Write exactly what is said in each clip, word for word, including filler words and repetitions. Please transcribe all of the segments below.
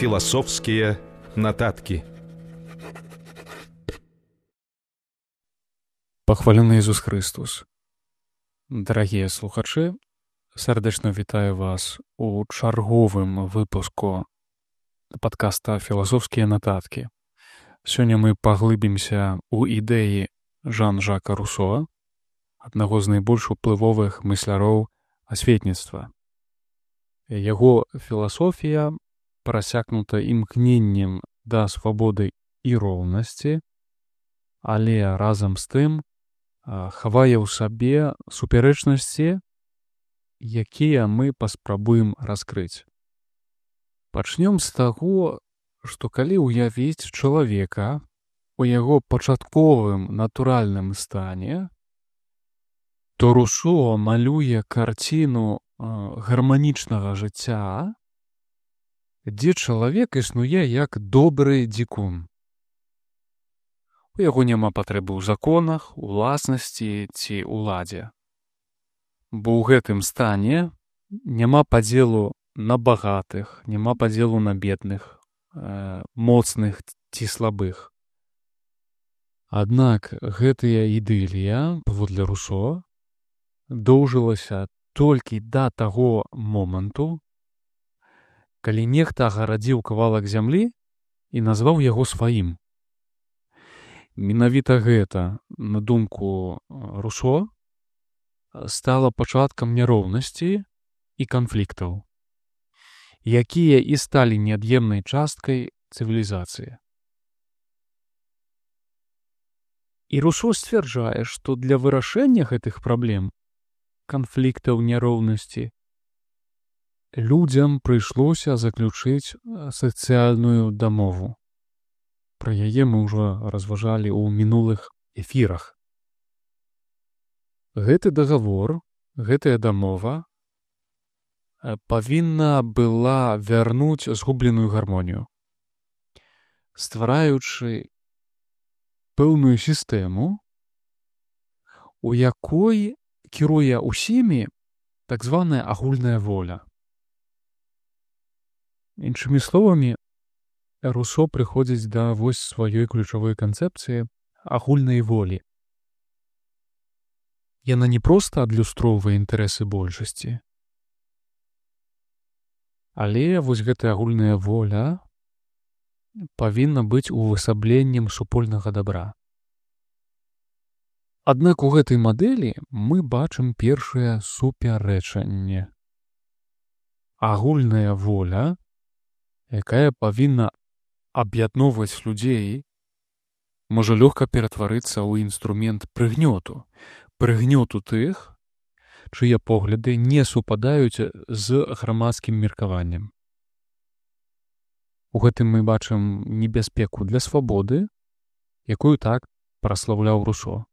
Філасофскія нататкі. Пахвалены Ісус Христос. Дарагія слухачы, сардэчна вітаю вас у чарговым выпуску падкаста «Філасофскія нататкі». Сёння мы паглыбімся ў ідэі Жан-Жака Руссо, аднаго з найбольш уплывовых мысляроў асветніцтва. Яго філасофія прасякнута імкненнем да свабоды і роўнасці, але разам з тым хавае ў сабе супярэчнасці, якія мы паспрабуем раскрыць. Пачнём з таго, што калі ўявіць чалавека у яго пачатковым натуральным стане, то Руссо малюе карціну гарманічнага жыцця, дзе чалавек існуе як добры дзікун. У яго няма патрэбы ў законах, уласнасці ці ўладзе. Бо ў гэтым стане няма падзелу на багатых, няма падзелу на бедных, э, моцных ці слабых. Аднак гэтая ідылія, паводле Руссо, доўжылася толькі да таго моманту, калі нехта агарадзіў кавалак зямлі і назваў яго сваім. Менавіта гэта, на думку Руссо, стала пачаткам няроўнасці і канфліктаў, якія і сталі неад'емнай часткай цывілізацыі. І Руссо сцвярджае, што для вырашэння гэтых праблем, канфліктаў, няроўнасці, людзям прыйшлося заключыць сацыяльную дамову. Пра яе мы ўжо разважалі ў мінулых эфірах. Гэты дагавор, гэтая дамова павінна была вярнуць згубленую гармонію, ствараючы пэўную сістэму, у якой кіруе ўсімі так званая агульная воля. Іншымі словамі, Руссо прыходзіць да вось сваёй ключавой канцэпцыі агульнай волі. Яна не проста адлюстроўвае інтарэсы большасці, але вось гэтая агульная воля павінна быць увасабленнем супольнага дабра. Аднак у гэтай мадэлі мы бачым першае супярэчанне. Агульная воля, якая павінна аб'ядноўваць людзей, можа лёгка ператварыцца ў інструмент прыгнёту, прыгнёту тых, чые погляды не супадаюць з грамадскім меркаваннем. У гэтым мы бачым небяспеку для свабоды, якую так праслаўляў Руссо.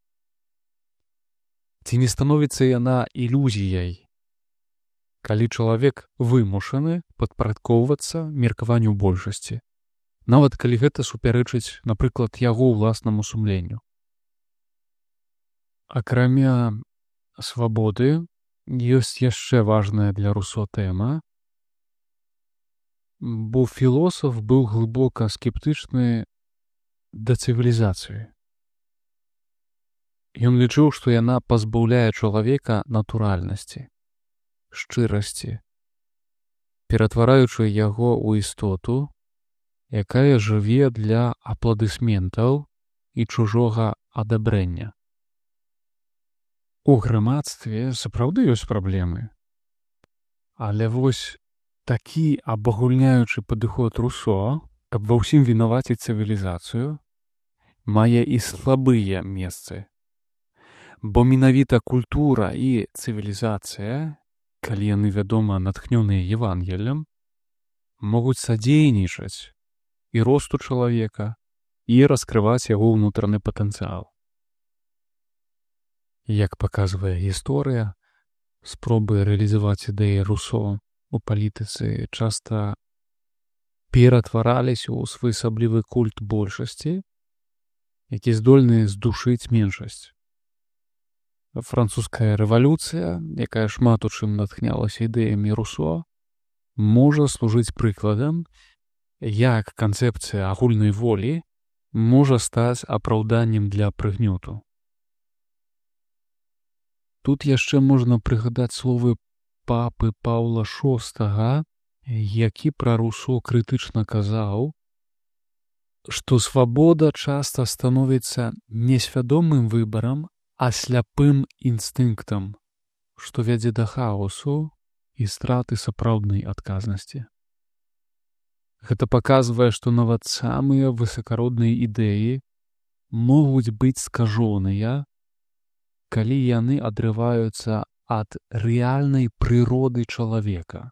Ці не становіцца яна ілюзіяй, калі чалавек вымушаны падпарадкоўвацца меркаванню большасці, нават калі гэта супярэчыць, напрыклад, яго ўласнаму сумленню. Акрамя свабоды, ёсць яшчэ важная для Руссо тэма, бо філосаф быў глыбока скептычны да цывілізацыі. Ён лічыў, што яна пазбаўляе чалавека натуральнасці, шчырасці, ператвараючы яго ў істоту, якая жыве для апладысментаў і чужога адабрэння. У грамадстве сапраўды ёсць праблемы, але вось такі абагульняючы падыход Руссо, каб ва ўсім вінаваціць цывілізацыю, мае і слабыя месцы. Бо менавіта культура і цывілізацыя, калі яны, вядома, натхнёныя Евангеллем, могуць садзейнічаць і росту чалавека, і раскрываць яго ўнутраны патэнцыял. Як паказвае гісторыя, спробы рэалізаваць ідэі Руссо у палітыцы часта ператвараліся ў своеасаблівы культ большасці, які здольны здушыць меншасць. Французская рэвалюцыя, якая шмат у чым натхнялася ідэямі Руссо, можа служыць прыкладам як канцэпцыя агульнай волі можа стаць апраўданнем для прыгнёту. Тут яшчэ можна прыгадаць словы папы Паўла шостага, які пра Русо крытычна казаў, што свабода часта становіцца не свядомым выбарам, а сляпым інстынктам, што вядзе да хаосу і страты сапраўднай адказнасці. Гэта паказвае, што нават самыя высакародныя ідэі могуць быць скажоныя, калі яны адрываюцца ад рэальнай прыроды чалавека.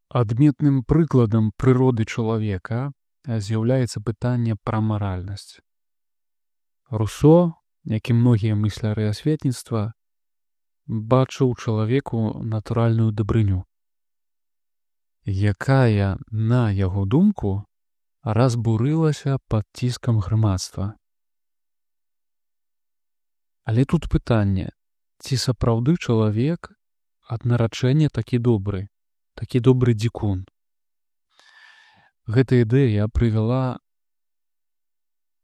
Адметным прыкладам прыроды чалавека з'яўляецца пытанне пра маральнасць. Русо, як і многія мысляры асветніцтва, бачыў чалавеку натуральную дабрыню, якая, на яго думку, разбурылася пад ціскам грамадства. Але тут пытанне, ці сапраўды чалавек ад нараджэння такі добры, такі добры дзікун. Гэта ідэя прывяла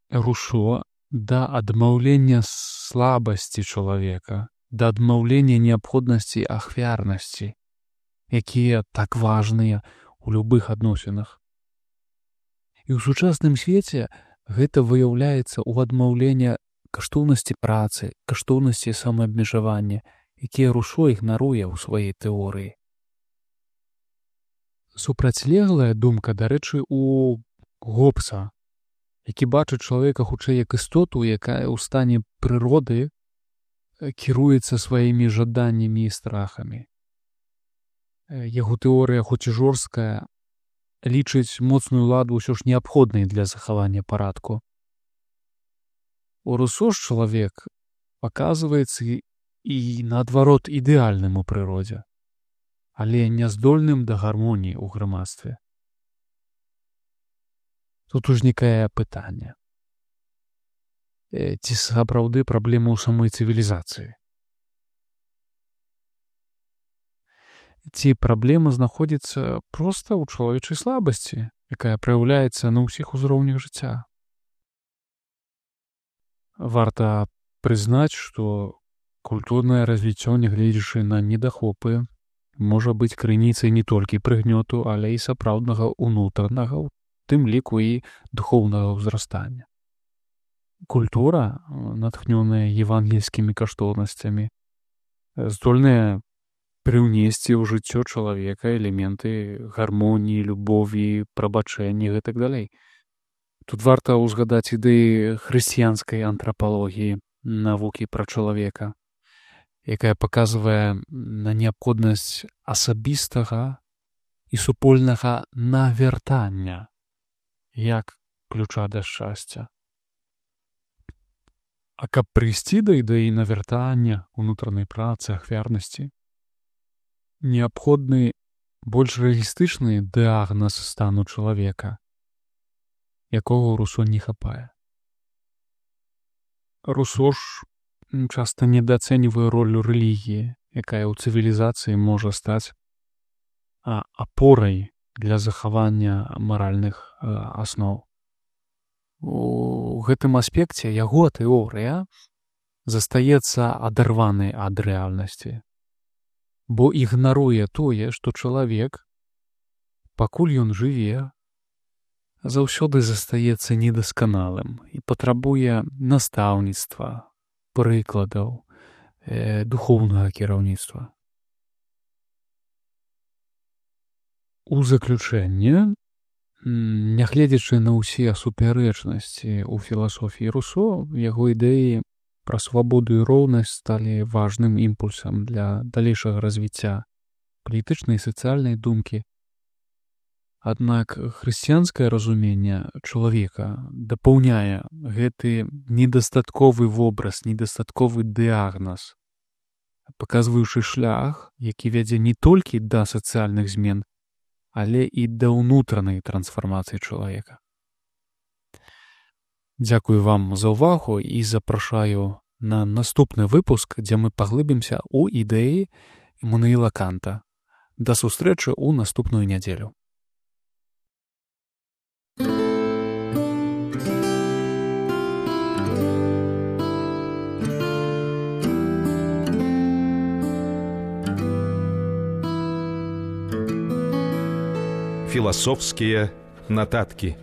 Русо да адмаўлення слабасці чалавека, да адмаўлення неабходнасці ахвярнасці, якія так важныя ў любых адносінах. І ў сучасным свеце гэта выяўляецца ў адмаўлення каштоўнасці працы, каштоўнасці самаабмежавання, якія Русо ігнаруе ў сваёй тэорыі. Супрацьлеглая думка, дарэчы, у Гоббса, які бачыць чалавека хутчэй як істоту, якая ў стане прыроды кіруецца сваімі жаданнямі і страхамі. Яго тэорыя, хоць і жорсткая, лічыць моцную ладу ўсё ж неабходнай для захавання парадку. У Русо ж чалавек паказваецца і, наадварот, ідэальным у прыродзе, але няздольным да гармоніі ў грамадстве. Тут узнікае пытанне. Ці сапраўды праблема ў самой цывілізацыі? Ці праблема знаходзіцца проста ў чалавечай слабасці, якая праяўляецца на ўсіх узроўнях жыцця? Варта прызнаць, што культурнае развіццё, нягледзячы на недахопы, можа быць крыніцай не толькі прыгнёту, але і сапраўднага ўнутранага, у тым ліку і духоўнага ўзрастання. Культура, натхнёная евангельскімі каштоўнасцямі, здольная прыўнесці ў жыццё чалавека элементы гармоніі, любові, прабачэння і гэтак далей. Тут варта ўзгадаць ідэі хрысціянскай антрапалогіі, навукі пра чалавека, якая паказвае на неабходнасць асабістага і супольнага навяртання як ключа да шчасця. А каб прыйсці да ідэі навяртання, унутранай працы, ахвярнасці, неабходны больш рэалістычны дыягназ стану чалавека, якога ў Русо не хапае. Русо ж часта недаацэньвае ролю рэлігіі, якая ў цывілізацыі можа стаць апорай для захавання маральных асноў. У гэтым аспекце яго тэорыя застаецца адарванай ад рэальнасці, бо ігнаруе тое, што чалавек, пакуль ён жыве, заўсёды застаецца недасканалым і патрабуе настаўніцтва, прыкладаў, э, духоўнага кіраўніцтва. У заключэнне, нягледзячы на ўсе супярэчнасці ў філасофіі Русо, яго ідэі пра свабоду і роўнасць сталі важным імпульсам для далейшага развіцця палітычнай і сацыяльнай думкі. Аднак хрысціянскае разуменне чалавека дапаўняе гэты недастатковы вобраз, недастатковы дыягназ, паказваючы шлях, які вядзе не толькі да сацыяльных змен, але і да ўнутранай трансфармацыі чалавека. Дзякую вам за ўвагу і запрашаю на наступны выпуск, дзе мы паглыбімся ў ідэі Імануіла Канта. Да сустрэчы ў наступную нядзелю. Философские нотатки.